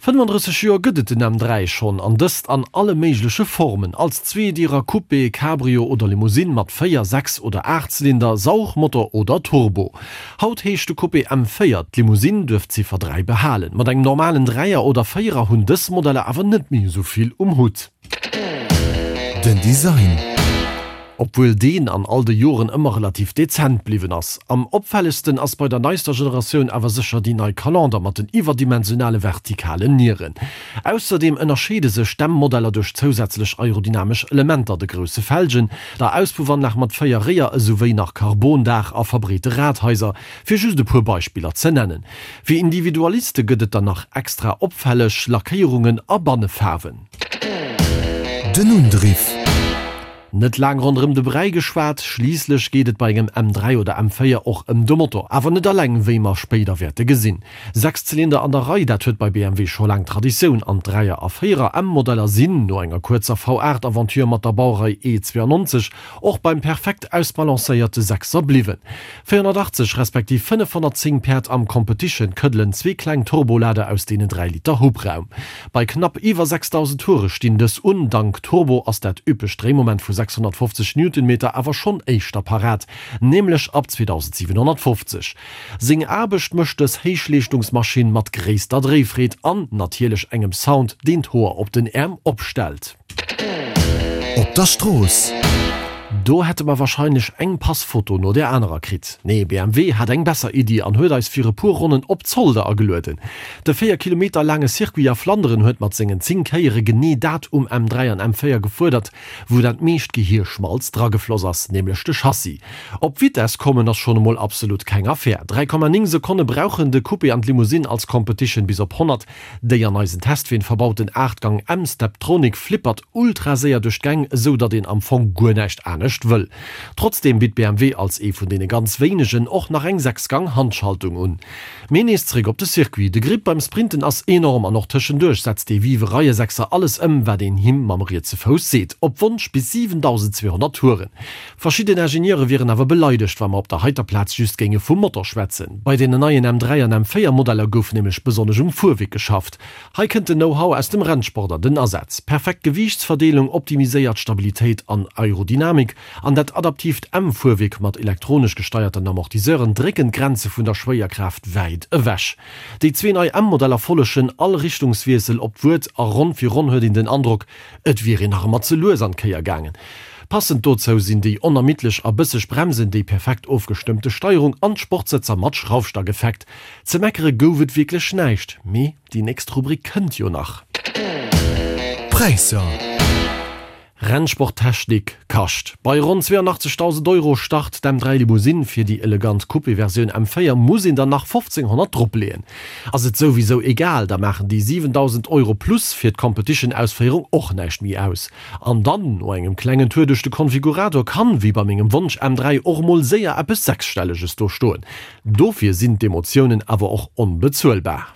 35 Joer gëtt et den M3 schonn, an dëst an alle méigleche Formen, als Zweedierer, Coupé, Cabrio oder Limousine mat 4, 6 oder 8 Zylinder, Saugmotor oder Turbo. Haut heescht de Coupé M4, d'Limousine duerf d'Ziffer 3 behalen. Mat engem normalen Dräier oder Véierer hunn dës Modeller awer net méi esou vill um Hutt. Den Design. Obwuel deen an all de Joren ëmmer relativ dezent bliwwen ass. Am opfällegsten ass bei der neister Generatioun awer sécher déi nei Calender mat den iwwerdimensionale vertikalen Nieren. Ausserdeem ënnerscheede sech d'M-Modeller duerch zousätzlech aerodynamesch Elementer, de grousse Felgen, der Auspuffanlag mat 4 Réier esouwéi nach Karbondaach a verbreete Radhaiser, fir just e puer Beispiller ze nennen. Fir Individualiste gëtt et dann nach extra opfälleg Lackéierungen a Bannefaarwen. Den Undriff. Net laang ronderëm de Bräi geschwat, schliisslech geet et bei engem M3 oder M4 och ëm de Motor. Awer net alleng, wéi mer spéider wäerte gesinn. 6 Zylinder an der Rei, dat huet bei BMW scho laang Traditioun an d'Dräier a Véierer M-Modeller sinn, no enger kuerzer V8-Aventure mat der Bauerei E92, och beim perfekt ausbalancéierte Sechser bliwwen. 480 respektiv 510 Päerd am Competition këddelen zwee kleng Turbolader aus deenen 3 Liter Hubraum. Bei knapp iwwer 6.000 Toure stinn dës un. Dank Turbo ass dat üppegt Dréimoment vu 650 Newtonmeter awer schonn éischter parat, nämlech ab 2.750. Seng Aarbecht mécht dës Héichleeschtungsmaschinn mat gréisster Dréifreed an natierlech engem Sound, deen d'Hoer op den Äerm opstellt. Op der Strooss. Do hätte mer wahrscheinlech eng Passfoto no der anerer kritt. Nee, BMW hat eng besser Iddi an huet eis fir e puer Ronnen op Zolder agelueden. De 4 Kilometer laange Circuit a Flanderen huet mat sengen 10 Kéiere genee dat um M3 an M4 gefuerdert, wou dat meescht Gehierschmalz dragefloss ass, nämlech de Chassis. Op Vitess kommen ass schonn emol absolut keng Affär. 3,9 Sekonne brauchen de Coupé an d'Limousine als Competition bis op 100. Déi an eisen Testween verbauten 8 Gang M-Steptronic flippert ultra séier duerch d'Gäng, esou datt een am Fong guer näischt anescht wëll. Trotzdeem bitt BMW als ee vun deene ganz wéinegen och nach eng 6 Gang Handschaltung un. Mee nees zeréck op de Circuit, de Grip beim Sprinten ass enorm an och tëschenduerch setzt dee vive Reiesechser alles ëm wat een him mam rietse Fouss seet, op Wonsch bis 7.200 Touren. Verschidden Ingenieure wieren awer beleidegt, wa mer op der heiter Plaz just géinge vum Motor schwätzen. Bei deenen neien M3 an M4 Modeller gouf nämlech besonnesch um Fuerwierk geschafft. Hei kënnt den Know-how aus dem Rennsport an den Asaz. Perfekt Gewiichtsverdeelung, optimiséiert Stabilitéit an Aerodynamik an dat adaptiivt M-Fuerwierk mat elektronesch gesteierten Amortisseuren drécken d'Grenze vun der Schwéierkraaft wäit ewech. Déi zwee nei M-Modeller follegen all Richtungswiessel op d'Wuert a Ronn fir Ronn huet een den Androck, Et wier een nach ëmmer ze lues an d'Kéier gaangen. Passend dozou sinn déi onermiddlech a bësseg Bremsen, déi perfekt ofgestëmmte Steierung an d'Sportsëtzer mat Schraufstackeffekt. Ze meckere gouf et wierklech näischt, mee déi nächst Rubrik kënnt jo nach. Präisser. Rennsporttechnik kascht. Bei ronn 82.000 Euro start d'M3 Limousine, fir déi elegant Coupé-Versioun M4 muss een der nach 1.500 dropleeën. Ass et souwisou egal, da maachen déi 7.000 Euro plus fir d'Competition-Ausféierung och näischt méi aus. An dann, no engem klengen Tour duerch de Konfigurator, kann, wéi bei mengem Wonsch M3, och mol séier eppes Sechsstelleges do stoen. Dofir sinn d'Emotiounen awer och onbezuelbar.